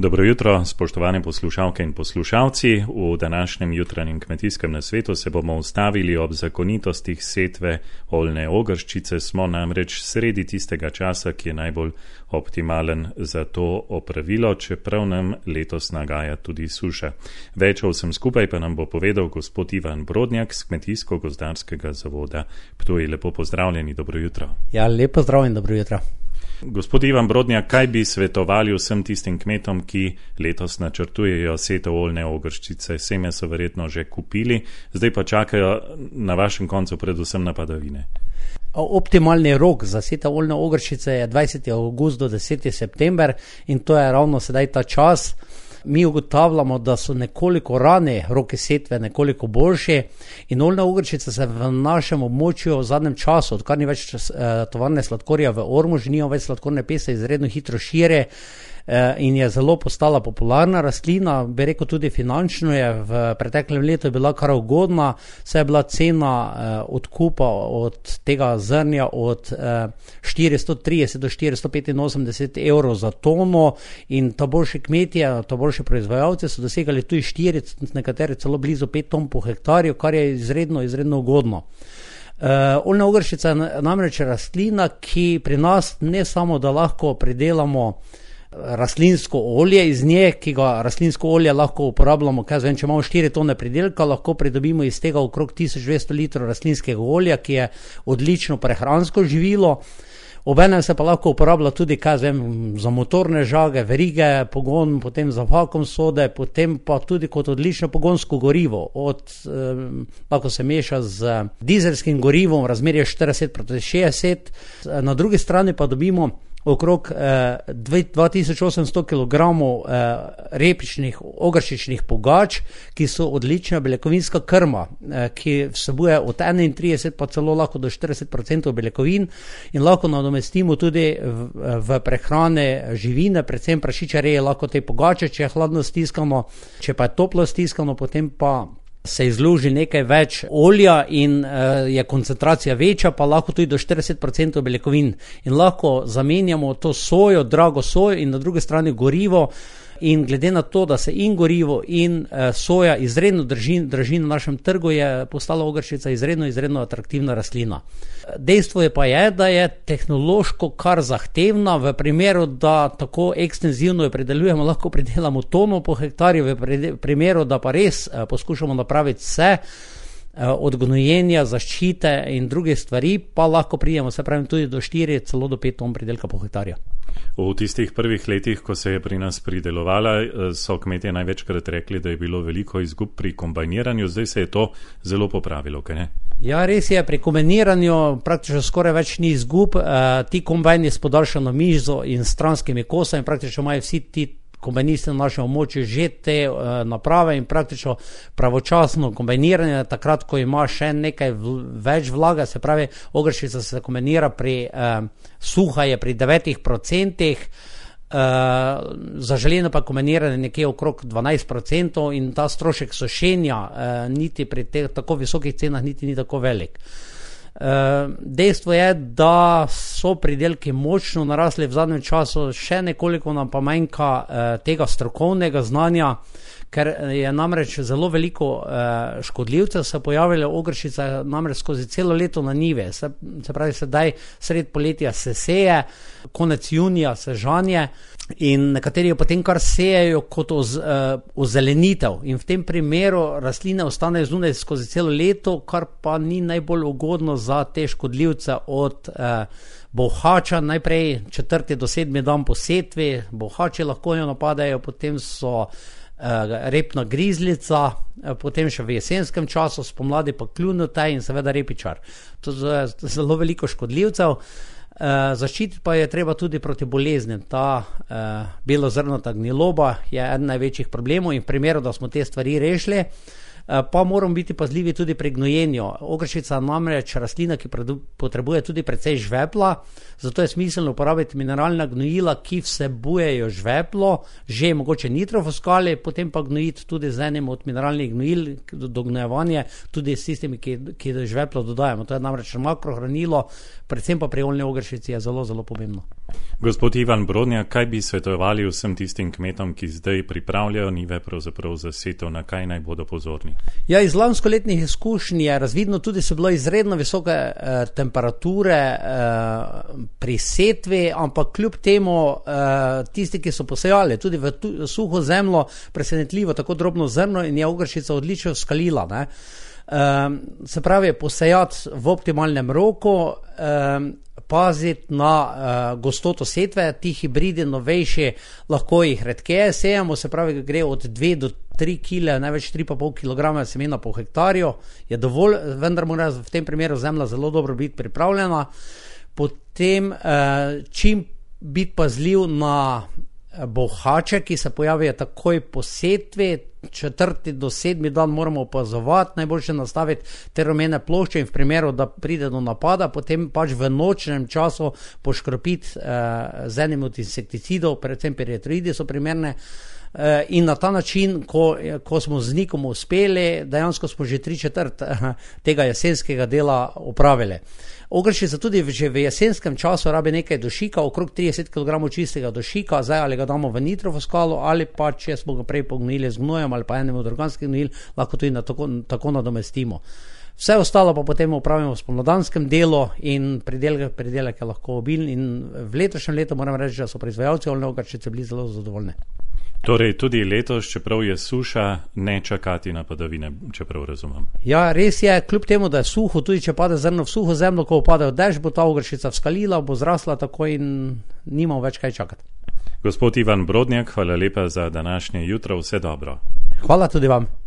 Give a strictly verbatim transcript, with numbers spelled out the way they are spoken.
Dobro jutro, spoštovane poslušalke in poslušalci. V današnjem jutranjem kmetijskem nasvetu se bomo ustavili ob zakonitostih setve oljne ogrščice. Smo namreč sredi tistega časa, ki je najbolj optimalen za to opravilo, čeprav nam letos nagaja tudi suša. Več o vsem skupaj pa nam bo povedal gospod Ivan Brodnjak z Kmetijsko-gozdarskega zavoda Ptuj. Lepo pozdravljeni, dobro jutro. Ja, lepo zdrav in dobro jutro. Gospod Ivan Brodnjak, kaj bi svetovali vsem tistim kmetom, ki letos načrtujejo setev oljne ogrščice? Seme so verjetno že kupili, zdaj pa čakajo na vašem koncu predvsem na padavine. Optimalni rok za setev oljne ogrščice je dvajseti avgust do deseti september in to je ravno sedaj ta čas. Mi ugotavljamo, da so nekoliko rane roki setve nekoliko boljši in oljna ogrščica se v našem območju v zadnjem času, odkar ni več eh, tovarne sladkorja v Ormožu, nijo več sladkorne pese, izredno hitro širi eh, in je zelo postala popularna rastlina, bi rekel tudi finančno je v preteklem letu bila kar ugodna, saj je bila cena eh, odkupa od tega zrnja od eh, štiristo trideset do štiristo petinosemdeset evrov za tono in ta boljši kmetje, ta boljši proizvajalci so dosegali tudi štiri, nekateri celo blizu pet ton po hektarju, kar je izredno, izredno ugodno. Uh, oljna ogrščica je namreč rastlina, ki pri nas ne samo, da lahko pridelamo rastlinsko olje iz nje, ki ga rastlinsko olje lahko uporabljamo, kaj zvem, če imamo štiri tone pridelka, lahko pridobimo iz tega okrog tisoč dvesto litrov rastlinskega olja, ki je odlično prehransko živilo. Obenem se pa lahko uporablja tudi, kaj zvem, za motorne žage, verige, pogon, potem za vakuum sode, potem pa tudi kot odlično pogonsko gorivo. Od, eh, lahko se meša z dizelskim gorivom, razmerje štirideset proti šestdeset. Na drugi strani pa dobimo okrog eh, dva tisoč osemsto kilogramov eh, repičnih, ogrščičnih pogač, ki so odlična beljakovinska krma, eh, ki vsebuje od enaintrideset pa celo lahko do štirideset procentov beljakovin in lahko nadomestimo tudi v, v prehrane živine, predvsem prašičareje, lahko te pogače, če je hladno stiskano, če pa je toplo stiskano, potem pa se izluži nekaj več olja in uh, je koncentracija večja, pa lahko tudi do štirideset procentov beljakovin. In lahko zamenjamo to sojo, drago sojo in na drugi strani gorivo. In glede na to, da se in gorivo in uh, soja izredno drži, drži na našem trgu, je postala ogrščica izredno, izredno atraktivna rastlina. Dejstvo je pa je, da je tehnološko kar zahtevna, v primeru, da tako ekstenzivno jo pridelujemo, lahko pridelamo tono po hektarju, v primeru, da pa res uh, poskušamo napraviti vse, od gnojenja, zaščite in druge stvari, pa lahko pridemo, se pravim, tudi do štiri, celo do pet ton pridelka po hektarju. V tistih prvih letih, ko se je pri nas pridelovala, so kmetje največkrat rekli, da je bilo veliko izgub pri kombajniranju, zdaj se je to zelo popravilo, kaj ne? Ja, res je, pri kombajniranju praktično skoraj več ni izgub, uh, ti kombajni s podaljšano mizo in stranskimi kosami, praktično imajo vsi ti kombajnisti na našem območju že te uh, naprave in praktično pravočasno kombajniranje, takrat, ko ima še nekaj v, več vlaga, se pravi, ogrščica se kombajnira pri uh, suha je pri devetih procentih, uh, zaželjeno pa kombajniranje nekje okrog dvanajst procentov in ta strošek sušenja uh, niti pri teh tako visokih cenah niti ni tako velik. Uh, dejstvo je, da so pridelki močno narasli v zadnjem času, še nekoliko nam pa manjka uh, tega strokovnega znanja, ker je namreč zelo veliko uh, škodljivcev se pojavilo, ogrščica namreč skozi celo leto na njive, se, se pravi sedaj sred poletja se seje, konec junija se žanje in nekateri jo potem kar sejejo kot oz, uh, ozelenitev in v tem primeru rastline ostanejo zunaj skozi celo leto, kar pa ni najbolj ugodno za te škodljivce od uh, bolhača, najprej četrti do sedmi dan po setvi, bolhači lahko jo napadajo, potem so repna grizlica, potem še v jesenskem času, spomladi pa kljunotaj in seveda repičar. To je zelo veliko škodljivcev. Zaščititi pa je treba tudi proti boleznim. Ta belozrnata gniloba je eden največjih problemov in v primeru, da smo te stvari rešili, pa moramo biti pazljivi tudi pri gnojenju. Ogrščica je namreč rastlina, ki potrebuje tudi precej žvepla, zato je smiselno uporabiti mineralna gnojila, ki vsebujejo žveplo, že mogoče nitrofosfali, potem pa gnojiti tudi z enim od mineralnih gnojil do gnojevanja, tudi s tistimi, ki, ki žveplo dodajamo. To je namreč makrohranilo, predvsem pa pri oljni ogrščici je zelo, zelo pomembno. Gospod Ivan Brodnjak, kaj bi svetovali vsem tistim kmetom, ki zdaj pripravljajo njive pravzaprav za setev, na kaj naj bodo pozorni? Ja, iz lanskoletnih izkušenj je razvidno tudi, so bile izredno visoke eh, temperature eh, pri setvi, ampak kljub temu eh, tisti, ki so posejali tudi v tu, suho zemljo, presenetljivo tako drobno zrno in je ogrščica odlično skalila, ne. Um, se pravi, posejati v optimalnem roku, um, paziti na uh, gostoto setve, ti hibridi novejši, lahko jih redkeje sejamo, se pravi, gre od dve do tri kile, največ tri pa pol kilograma semena po hektarju, je dovolj, vendar mora v tem primeru zemlja zelo dobro biti pripravljena. Potem uh, čim biti pazljiv na bohače, ki se pojavijo takoj po setvi, četrti do sedmi dan moramo opazovati, najboljše nastaviti te rumene plošče in v primeru, da pride do napada, potem pač v nočnem času poškropiti eh, z enim od insekticidov, predvsem piretroidi so primerne, eh, in na ta način, ko, ko smo z nikom uspeli, dejansko smo že tri četrt eh, tega jesenskega dela opravili. Ogrščica tudi že v jesenskem času rabi nekaj dušika, okrog trideset kilogramov čistega dušika, zdaj ali ga damo v nitrofosfalo ali pa, če smo ga prej pognojili z gnojem ali pa enem od organskih gnojil, lahko tudi na tako, tako nadomestimo. Vse ostalo pa potem upravimo v spomladanskem delu in pridelek, pridelek je lahko obilen in v letošnjem letu moram reči, da so proizvajalci oljne ogrščice bili zelo zadovoljni. Torej tudi letos, čeprav je suša, ne čakati na padavine, čeprav razumem. Ja, res je, kljub temu, da je suho, tudi če pade zrno v suho zemljo, ko pade dež, bo ta ogrščica vskalila, bo zrasla tako in nimamo več kaj čakati. Gospod Ivan Brodnjak, hvala lepa za današnje jutro, vse dobro. Hvala tudi vam.